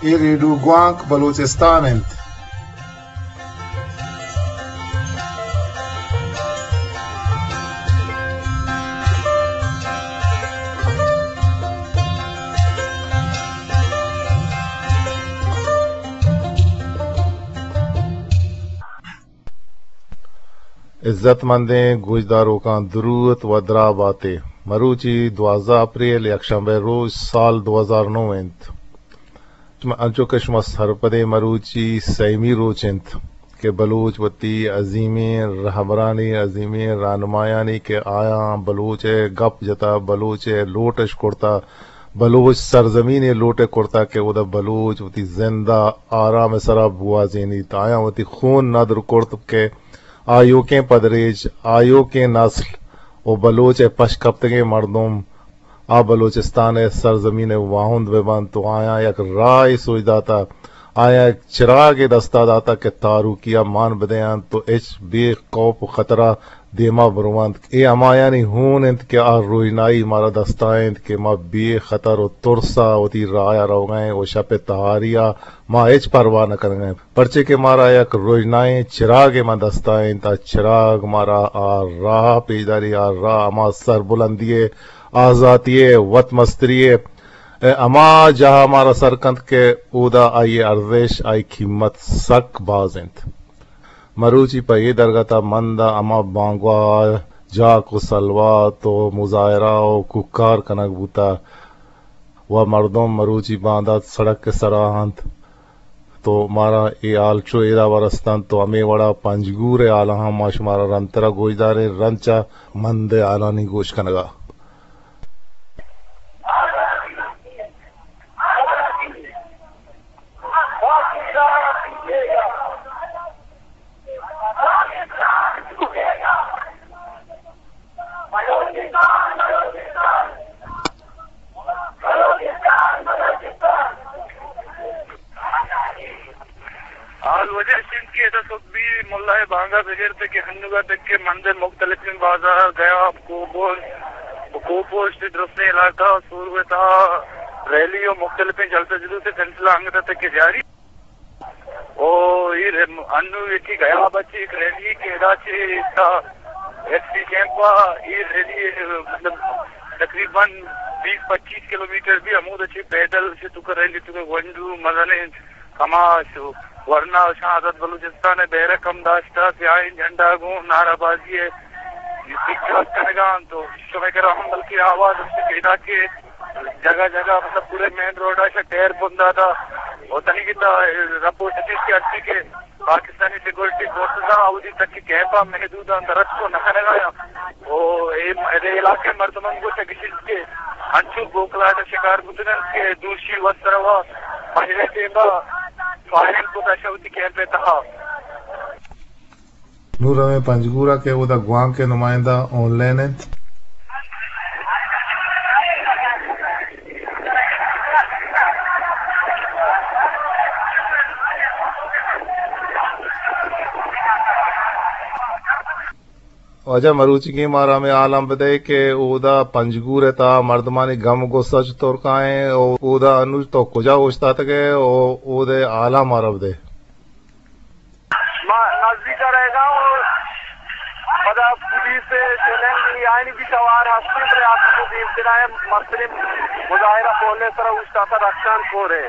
اے ریڈیو گوانک بلوچستان انت۔ عزت مندیں گوشداروکاں دروت و دراہ باتے۔ مروچی دوازدہ اپریل، یکشنبہ روچ، سال دو ہزار نو انت۔ شما، انچو کہ شما سرپدیں، مروچی سیمی روچ انت کہ بلوچ وتی عظیمیں رہبرانی، عظیمیں رہنمایانی کہ آیاں بلوچ ء گپ جتا، بلوچ ء لوٹ اش کرتا، بلوچ سرزمین ء لوٹ ء کرتا کہ اودا بلوچ وتی زند ء آرام ء سرا بوازینیت۔ آیاں وتی خون ندر کرت کہ آیوکیں پدریچ، آیوکیں نسل و بلوچ ء پشکپتگیں مردم آ بلوچستان ء سرزمین ء واہند بہ بنت و آیاں یک راہے سوج داتا، آیاں یک چراگے دستا داتا کہ تاروکی ء مان بدینت و ہچ بے خوف و خطرہ دیما برونت۔ اے ہمایانی ہون انت کہ آ روژنائی مارا دستا انت کہ ما بے خطر و ترس ء وتی راہ ء روگا ایں و شپ ء تہاری ء ما ہچ پرواہ نہ کنگا ایں، پرچے کہ مارا یک روژنائیں چراگے ما دستا انت۔ آ چراگ مارا آ راہ پیش داری، آ راہ ہما سربلندی ء، آزاتی ء، وت مستری ء، ہما جاہ ء مارا سر کنت کہ اودا آئی ء ارزش، آئی قیمت سک باز انت۔ مروچی پہ اے درگت ء من داں ہما بانگواہ ء جاک و سلوات و مظاہرہ و کوکار کنگ بوتہ و مردم مروچی باندات سڑک ء سرا انت، تو مارا اے حال چو ادا و رستنت، تو ہمے وڑا پنجگور ء حالاں ہم ما شمارا رندترا گوش داریں۔ رند چہ مند ء حالانی گوش کنگا۔ حال واجہ اش انت کہ ادا صبحی ملا ء بانگا بگر تک کہ ہنوگا تک کہ مند ء مختلفیں بازار، گیا، کوپوسٹ، کوپوسٹ درستیں علاقہ سورو ء تہا ریلی و مختلفیں جلسہ جلوس ء سلسلہ انگت تک کہ جاری۔ او اے ر-، انو یکی گیا بچی ایک ریلی کہ ادا چہ تا ایف سی کیمپ ء اے ریلی، مطلب، تقریباً بیس پچیس کلومیٹر بی، ہمود چہ پیدل چہ تو ریلی تو گونڈو مزنیں کماش و ورنا شاہ آزاد بلوچستان ء بیرک ہم داشتہ، سیاہیں جھنڈا گوں نعرہ بازی ء سکھاس کنگا انت و شمئے کرا ہم بلکہ آواز ہمشی پیدا کہ جگہ جگہ، مطلب، پورے مین روڈ ء شہ ٹائر بنداتا و تنیگتا رپورٹ اتیش کہ ہستی کہ پاکستانی سیکورٹی فورسز آ اودی تک کہ کیمپ آ محدود آں، درس کو نہ کنگا یا۔ او اے، اے علاقے مردمان گوشگ اشیت کہ انچو بوکلاٹ شکار بوتگن کہ دوشی وت سروا پنجرے ٹیما فائرنگ کو داشا ہوتی کیمپ تہا۔ نوں رویں پنجگور ء کہ اودا گوانک ء نمائندہ آن لائن انت۔ واجہ مروچیگیں مارا ہمے حالاں بدئے کہ اودا پنجگور ء تہا مردمانی گم و گسا چطور کائیں و اودا انوش تو کجا اوشتاتگ ئے و اودے حالاں مارا بدئے۔ ما نزدیک ء رہگا اوں، پدا پولیس ء چیلنج آئینی بھی توار ہستیں، بلے آ دیمترا ء مستریں مظاہرہ پول ء سرا اوشتاتہ رخشان کور ء۔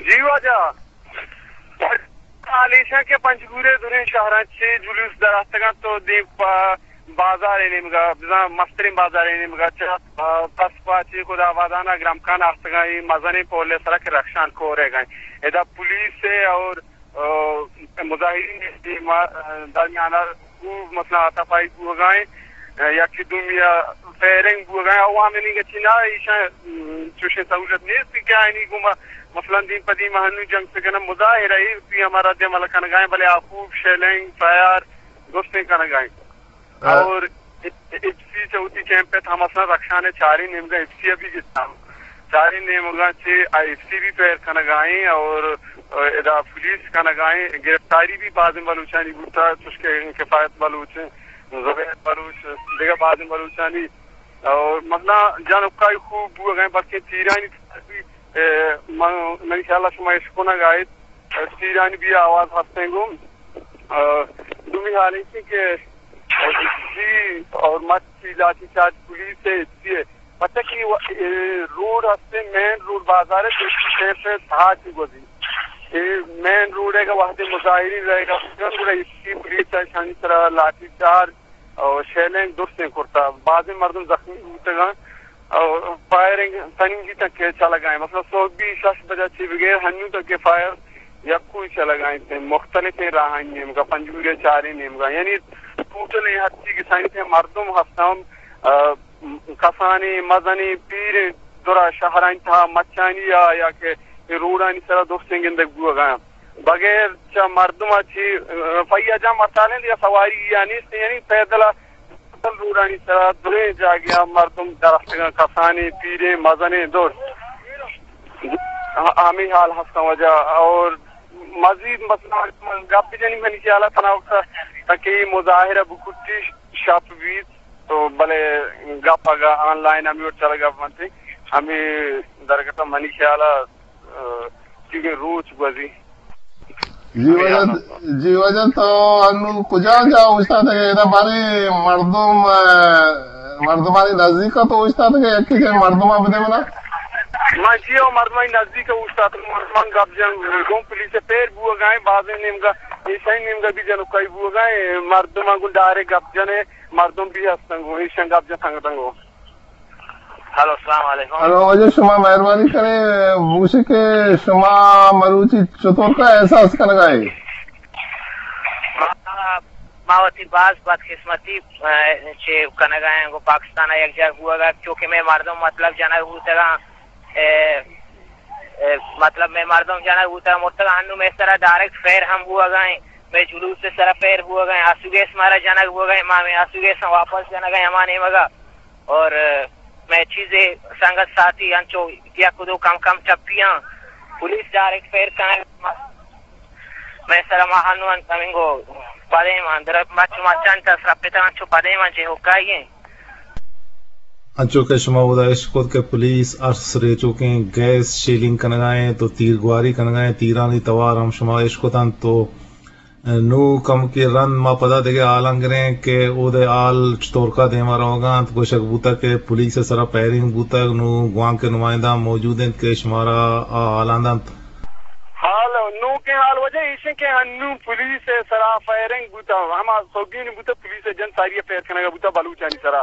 جی واجہ، حال ایشاں کہ پنجگور ء دریں شہراں چہ جلوس در آتگاں تو دیم پہ بازار ء نیمگا، بزاں مستریں بازار ء نیمگا چہ، آ، پس پا چہ خدا آبادان ء گرمکان آستگاں، اے مزنیں پول ء سرا کہ رخشان کور ء گئیں۔ ادا پولیس ء اور، آ، مظاہرین ء دیما-، آ، درمیان ء خوب مثلاً ہاتاپائی بوگا ایں، آ، یکے دومی ء فائرنگ بوگا ایں۔ عوام ء نیمگا چہ نہ ایشاں، م، چوشیں سہولت نیست کہ آئینی گوما مثلاً دیم پہ دیم ہنو جنگ پہ کنن، مظاہرہ ای پی ہمارا دے عمل کنگائیں، بلے آ خوب شیلنگ، فائر، درستیں کنگائیں۔ اور ایف سی چہ وتی کیمپ ات ہم اصلاً رخشان ء چاریں نیمگا ایف سی ء بھی گتا۔ چاریں نیمگا چہ آ ایف سی بھی پیر کنگائیں اور ادا پولیس کنگائیں۔ گرفتاری بھی بازیں بلوچانی بوتا، چوش کہ کفایت بلوچ، زبیر بلوچ، دگہ بازیں بلوچانی اور مثلاً جان اکائی خوب بوگائیں، بلکہ تیرانی بھی، اے، من، منی خیال ء شما اشکنگ ء ات، تیرانی بھی آواز ہستیں گوں۔ آ، دومی حال ایسی کہ جی اور مچی لاٹھی چارج پولیس ہے، اسی ہے۔ پتہ کہ وہ، اے، روڈ ہستے، مین روڈ بازار ہے، تو اسی طرف سے تھا چی گزی۔ اے مین روڈ ہے کہ وہدے مظاہرین رہے گا، گڑا اسی پولیس ہے، شانی طرح لاٹھی چارج اور شیلنگ درستیں کرتا۔ بازیں مردم زخمی بوتگاں۔ اور فائرنگ تنیگی تک چلگائیں، مثلاً صبح بھی شش بجہ چی بغیر ہنو تک فائر یکوئی چلگائیں، مختلف راہانی نیمگا، پنجگور ء چاریں نیمگا، یعنی ٹوٹل اے ہرچی کسانی تھے مردم ہفتم، آ، کسانی، مزنی، پیریں، درا شہرانی تھا مچانی یا، یا کہ اے روڈانی سرا درستیں گندگ بوگا۔ بغیر چہ مردم ء چی، آ، فیا جام ہڑتالیں یا سواری یا نیست، یعنی پیدل ء روڈانی سرا دریں جاگہاں مردم دراتکگاں، کسانیں، پیریں، مزنیں، دور ہمیں حال ہستاں وجہ۔ اور مزید مثلاً من گپ بجنی، منی خیال ء تنا وقت تاکہ یہ مظاہرہ بکٹی شپ بیت تو بلے گپ اگا آن لائن ہمیں وقت چلگا بنتے، ہمیں درگت منی خیال ء، آ، چیزیں روچ گوزی۔ جی واجہ، جی واجہ، تو انو کجا جا اوشتاتگے؟ ادا بارے مردم، آ، مردمانی نزدیک تو اوشتاتگے، یکی جا مردم بدے منا؟ من جی او مردمانی نزدیک اوشتاتگے، مردمان گپ جن گوں پولیس پیر بوگائیں، بازیں نیمگا، ایشانی نیمگا بھی جنوکائی بوگائیں، مردمان گوں ڈائریکٹ گپ جنے، مردم بھی ہستن گوں، ایشان گپ جن سنگتن گوں۔ ہلو، السلام علیکم۔ ہلو، واجہ شما مہربانی کرے، بوشے کہ شما مروچی چطور کا احساس کنگا ہے؟ ما، ما وتی باز بدقسمتی، اے، چے کنگا ہیں، گو پاکستان یک جاگ بوگا، چونکہ میں مردم مطلب جنگ بوتگا، اے، اے، مطلب میں مردم جنگ بوتگا، مرتگا ہنو میں سرا ڈائریکٹ فیر ہم بوگا ہیں، میں جلوس سرا فیر بوگا ہیں، آسو گیس مارا جنگ بوگا ہیں، ما میں آسو گیس واپس جنگا ہیں، ہما نیمگا۔ اور، اے، میں چیزے سنگت ساتھی انچو یک دو کم کم ٹپیاں، پولیس ڈائریکٹ فیر کنگ، میں سرا ما ہنو انت ہمینگو پدے مان در مچ مچان تا سرا پتا انچو پدے مان جے ہوکائی ہیں۔ انچو کہ شما اودا اشکت کہ پولیس ارس ریچوکیں گیس شیلنگ کنگا ہیں تو تیرگواری کنگا ہیں، تیرانی توار ہم شما اشکتن تو نوں کمکے رند ما پدا دگہ حالاں گریں کہ اودے حال چتورکا دیما روگا انت۔ گوشگ بوتگ کہ پولیس ء سرا فائرنگ بوتگ، نوں گوانک ء نمائندہ موجود انت کہ شمارا آ حالاں دنت۔ حال، نوکیں حال واجہ ایش انت کہ ہنوں پولیس ء سرا فائرنگ بوتگ، ہما سوگین بوتگ، پولیس ء جن ساری ء فائر کنگا بوتگ بلوچانی سرا،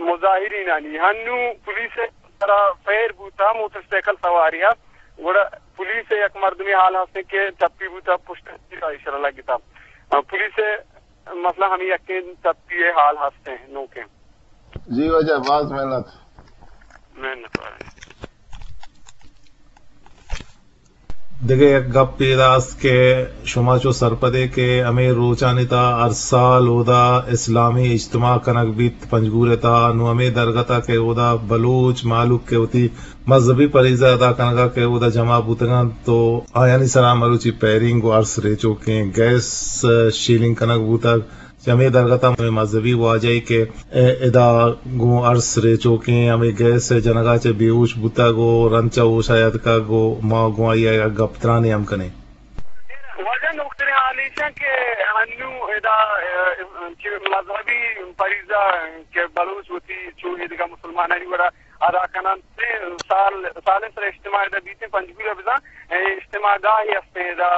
مظاہرینانی۔ ہنوں پولیس ء سرا فائر بوتگ، موٹر سائیکل سواری ء۔ گڑا پولیس ء یک مردمے حال ہستیں کہ چپی بوتا، پشت ء تیر ایشرا لگتا۔ آ، پولیس ء مسئلہ ہمیں یکیں چپی ء حال ہستیں نوکیں۔ جی واجہ، باز محنت۔ محنت وارے۔ دگہ یک گپے ادا است کہ شما چو سرپدے کہ ہمے روچانی تہا ہر سال اودا اسلامی اجتماع کنگ بیت پنجگور ء تہا، نوں ہمے درگت ء کہ اودا بلوچ مہلوک کہ وتی مذہبی پریزہ ادا کنگا کہ اودا جمع بوتگاں تو آیانی سرا مروچی پیرنگ و ارس ریچوکیں گیس شیلنگ کنگ بوتگ۔ چہ ہمے درگت ء ہمے مذہبی واجہے کہ ادا گوں ارس ریچوکیں ہمے گیس ء جنگا چہ بے ہوش بوتگ و رند چہ ہوشا یاتکگ و ما گوں آئی ء گپ ترانے ہم کنیں۔ واجہ نوکتریں حال ایش انت کہ ہنوں ادا، اے، چہ مذہبی پریزہ کہ بلوچ وتی چو ایدگہ مسلمانانی وڑا ادا کننت، سال، سالیں سر اجتماع ادا بیتیں پنجگور ء بزاں، اے، اجتماع گاہے ہستیں ادا۔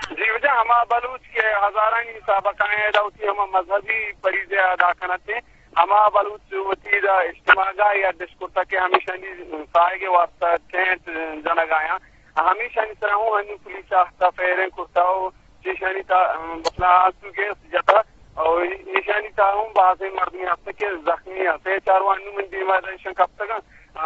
جی واجہ، ہما بلوچ کہ ہزارانی حساب ء کائیں ادا وتی ہما مذہبی پریزہ ادا کننت، ہما بلوچ وتی ادا اجتماع گاہے اڈ اش کرتگ کہ ہمیشانی ساہگ ء واسطہ ٹینٹ جنگ آیاں۔ ہمیشانی سرا ہوں ہنی پولیس آہتا فائرنگ کرتا و چیشانی تا، مثلاً آنسو گیس جتا و ایشانی تا ہوں بازیں مردمی ہستے کہ زخمی ہستے۔ چار و ہنو من دیما ایشان کپتگاں،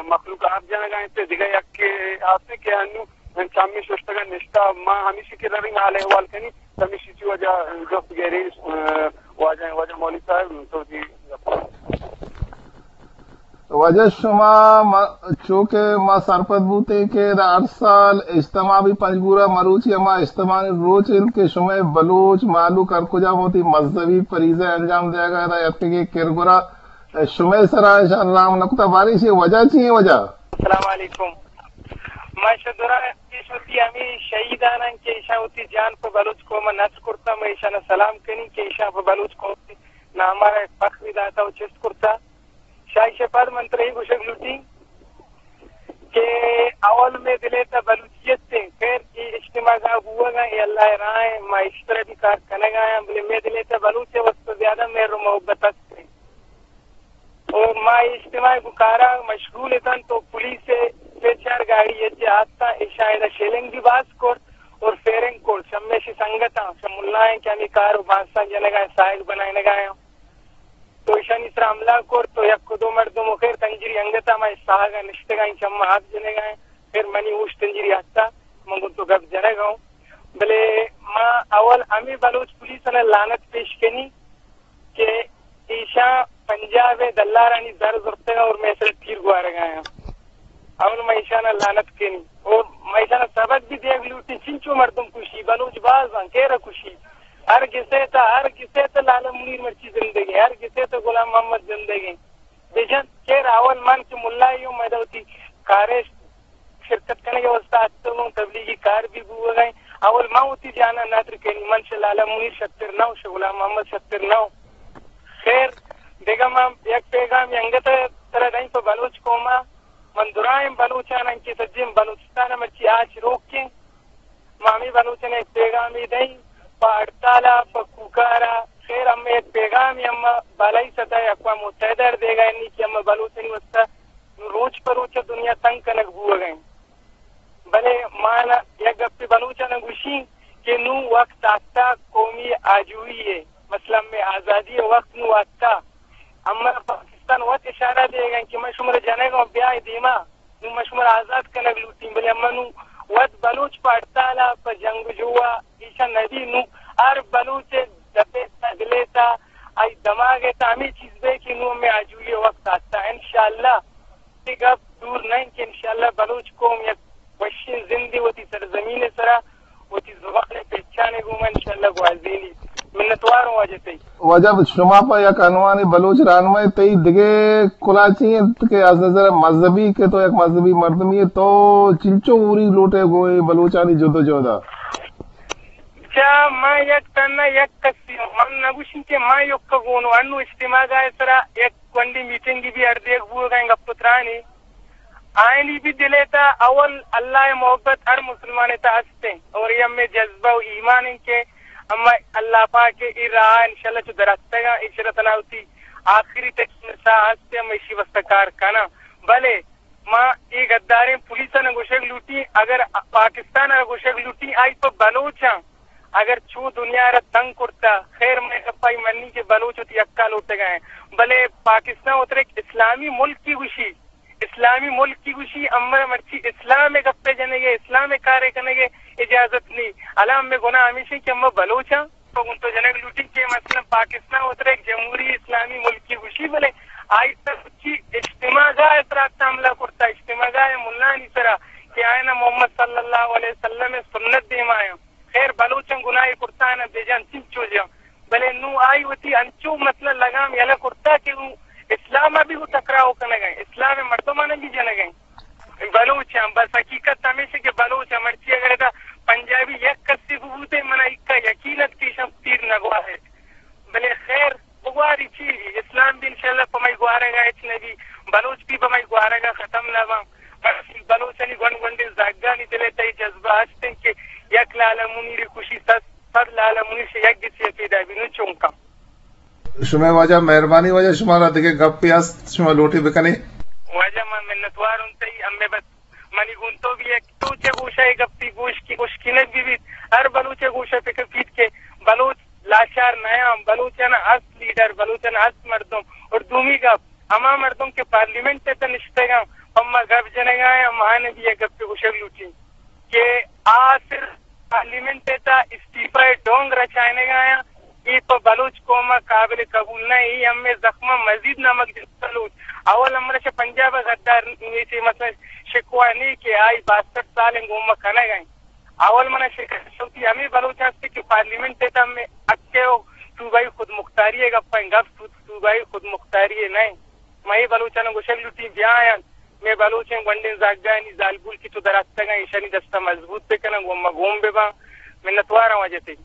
مخلوق آپ جنگ آئیں تے دگہ یک ہستے کہ ہنو من چمی ششتگ ءَ نشتہ، ما ہمیشی کہ رویں حال احوال کنی، ہمیشی چی وجہ جست گیری، اه، واجہ، واجہ مولوی صاحب، تو جی۔ واجہ شما ما، چو کہ ما سرپد بوتیں کہ ہر سال اجتماع بی پنجگور ءَ، مروچی ہما اجتماعی روچ انت کہ شمئے بلوچ مہلوک ہر کجا وتی مذہبی فریضہ انجام دیگ ءَ ادا اتکگیں کرگرا شمئے سرا اشان رام نکتا، باریں ایشی وجہ چی ایں وجہ؟ السلام علیکم۔ ما شہ درا پیش وتی ہمے شہیداناں کہ ایشاں وتی جان پہ بلوچ قوم ءَ نذر کرتا، ما ایشاں سلام کنی کہ ایشاں پہ بلوچ قوم ءِ نام ءَ فخر داتا و چست کرتا۔ شاہی شپاد من ترا اے گوشگ لوٹی کہ اول مئے دل ءِ تہ بلوچیت ایں، خیر اے اجتماع گاہ بوگ ءَ اے اللہ ءِ راہ ءَ، ما ایشی سرا بھی کار کنگ ءَ آں، بلے مئے دل ءِ تہ بلوچ ءِ واسطہ زیادہ مہر و محبت است ایں۔ اور ما اے اجتماع ءِ گوں کارا مشغول اتاں تو پولیس ءِ سے چار گاڑی یک جاہ آتاں، ایشاں ادا شیلنگ بھی باز کرت اور فیرنگ کرت، شمے شی سنگتاں، شم ملائیں کہ ہمیں کار و بانساں جنگا ساہگ بنائینگا آں۔ تو ایشانی سرا حملہ کرت تو یک و دو مردم و خیر تنجری انگتا ما ساہگا نشتگاں، چما آپ جنگا، خیر منی ہوش تنجری ہستا، من گوں تو گپ جنگا ہوں۔ بلے ما اول ہمیں بلوچ پولیس ءَ لعنت پیش کنی کہ ایشاں پنجاب ءِ دلارانی زر زرتگ اور مئے سرا تیر گوارگ ءَ آں۔ اول ما ایشانا لعنت کنی۔ او ما ایشانا سبق بھی دیگ لوٹی، چنچو مردم کشی، بلوچ باز آں، کیرا کشی۔ ہر گسے تا، ہر گسے تا لالا منیر مرچی زندگیں، ہر گسے تا غلام محمد زندگیں۔ بجن کیر اول من کہ ملائی ہوں، مئے وتی کارش شرکت کنگ ءِ واسطہ اتکگوں، تبلیغی کار بھی بوگ ءَ ایں۔ اول من وتی جانا ندر کنی، من شہ لالا منیر شتر نہ اوں، شہ غلام محمد شتر نہ اوں۔ خیر، دگہ من یک پیغام انگت ترا دئیں پہ بلوچ قوما۔ من درائیں بلوچاناں کہ سجیں بلوچستان ءَ مرچی آچ روکیں، ما ہمے بلوچاں یک پیغامے دئیں پہ ہڑتال ءَ، پہ کوکار ءَ۔ خیر، ہمے یک پیغامے ہم بالائی سطح ءَ اقوام متحدہ ءَ دیگ ءَ انی کہ ہم بلوچانی واسطہ نوں روچ پہ روچ دنیا تنگ کنگ بوگ ءَ انت۔ بلے ما نہ یک گپے بلوچاں گوشیں کہ نوں وقت آتکا قومی آجوئی ءِ، مثلاً مئے آزادی ءِ وقت نوں آتکا۔ اما پاکستان وت اشارہ دیگ ءَ کہ من شمارا جنگ ءَ بیائے دیما، نوں من شمارا آزاد کنگ لوٹیں، بلے اما نوں وت بلوچ پہ ہڑتال ءَ، پہ جنگ و جو ءَ ایشاں نبی۔ نوں ہر بلوچ ءِ دپ ءِ تہ، دل ءِ تہ، آئی دماغ ءِ تہ ہمے چیز بے کہ نوں ہمے آجوئی ءِ وقت آتکا۔ انشاءاللہ اے گپ دور نہ انت کہ انشاءاللہ بلوچ قوم یک وشیں زندے وتی سرزمین ءِ سرا وتی زبان ءِ پہچان ءِ گوما انشاءاللہ گوازینی۔ منتوار اوں واجہ تئی۔ واجہ شما پہ یک عنوان بلوچ راہنمائے، تئی دگہ کلاہ چی انت کہ از نظر مذہبی کہ تو یک مذہبی مردمی ئے، تو چنچو اوری لوٹے گوں اے بلوچانی جدوجہد ءَ؟ چا ما یک تنہ یک کسی اوں، من نہ گوشیں کہ ما یک گونو انو اجتماع ءِ سرا یک گونڈی میٹنگ بھی ہر دیگ بوگ ءَ گپ و ترانی آئینی بھی دل ءِ تہ اول اللہ ءِ محبت ہر مسلمان ءِ تہ است انت اور اے ہمے جذبہ و ایمان انت کہ ہم اللہ پاک ءِ اے راہ انشاءاللہ چو دراتکگاں، انشاءاللہ تنا وتی آخری تک ساہ است ہم ایشی واسطہ کار کناں۔ بلے ما اے گداریں پولیساں گوشگ لوٹیں، اگر پاکستان ءَ گوشگ لوٹیں، آئی پہ بلوچاں اگر چو دنیا ءَ را تنگ کرتا، خیر مئے گپ آئی منی کہ بلوچ وتی حقا لوٹگا ہیں، بلے پاکستان وترا یک اسلامی ملکی گوشی، اسلامی ملکی گوشی، اما مرچی اسلام ءِ گپے جنگے، اسلام ءِ کارے کنگے اجازت نی۔ الان مئے گناہ ہمیشیں کہ اما بلوچاں تو گوں تو جنگ لوٹی کہ مثلاً پاکستان وترا یک جمہوری اسلامی ملکی گوشی، بلے آئی تہ چی اجتماع گاہ ءِ سرا حملہ کرتا، اجتماع گاہ ءِ ملانی سرا کہ آئینا محمد صلی اللہ علیہ وسلم ءِ سنت دیما آیاں۔ خیر بلوچاں گناہے کرتا نہ بجان چنچو جان، بلے نوں آئی وتی انچو مثلاً لگام یلہ کرتا کہ نوں اسلام ءَ بھی گوں ٹکراؤ کنگ ءَ، اسلام ءِ مردماں بھی جنگ ءَ۔ بلوچ ہم بس حقیقت ہمیش کہ بلوچ ہم مرچی اگر ادا پنجابی یک کسی بوتے منا اکا یقین ات کہ ایشاں تیر نہ گوارے۔ بلے خیر بگواری چی بی؟ اسلام بھی انشاءاللہ پہ مئی گوارگا ہچ نہ بی، بلوچ بھی پہ مئی گوارگا ختم نہ باں۔ بس بلوچانی گونڈ گونڈیں زہگانی دل ءِ تہ اے جذبہ ہست انت کہ یک لالا منیر کشی صد، صد لالا منیر شہ یک گچی پیدا بی، نوں چونکا؟ شمئے واجہ، مہربانی واجہ، شمارا دگہ گپے است، شما لوٹے بکنے؟ واجہ، من منتوار ہوں تئی، ہمے بس منی گوں تو بھی یک تو چہ گوشا اے گپی گوش کی، گوش کنگ بہ بیت۔ ہر بلوچ ءِ گوشا پکر بیت کہ بلوچ لاچار نیاں، بلوچانا است لیڈر، بلوچانا است مردم۔ اور دومی گپ، ہما مردم کہ پارلیمنٹ ءِ تہ نشتگاں، پما گپ جنگا ہیں، ہمانا بھی یک گپے گوشگ لوٹی۔ کہ آ صرف پارلیمنٹ ءِ تہا استعفی ءِ ڈونگ رچائینگ ءَ آیاں، اے پہ بلوچ قوم ءَ قابل قبول نہ ایں۔ اے ہمے زخم ءَ مزید نمک جت بلوچ۔ اول ہم من ءَ چہ پنجاب ءِ غدار نیچے مثلاً شکوہ نی کہ آئی باسٹھ سال ءَ گوما کنگ ءَ ایں۔ اول من ءَ شکست وتی ہمے بلوچ است کہ پارلیمنٹ ءِ تہا ہمے حق ءُ صوبائی خودمختاری ءِ گپ ءَ ایں، گپ صوبائی خودمختاری ءِ نہ ایں۔ ما اے بلوچاں گوشگ لوٹیں بیا آیاں، مئے بلوچیں گونڈیں زاگانی زالبول کہ تو دراتکگ اَں، ایشانی دست ءَ مضبوط بکناں، گوں ما گون بباں۔ منتواراں واجہ تئی۔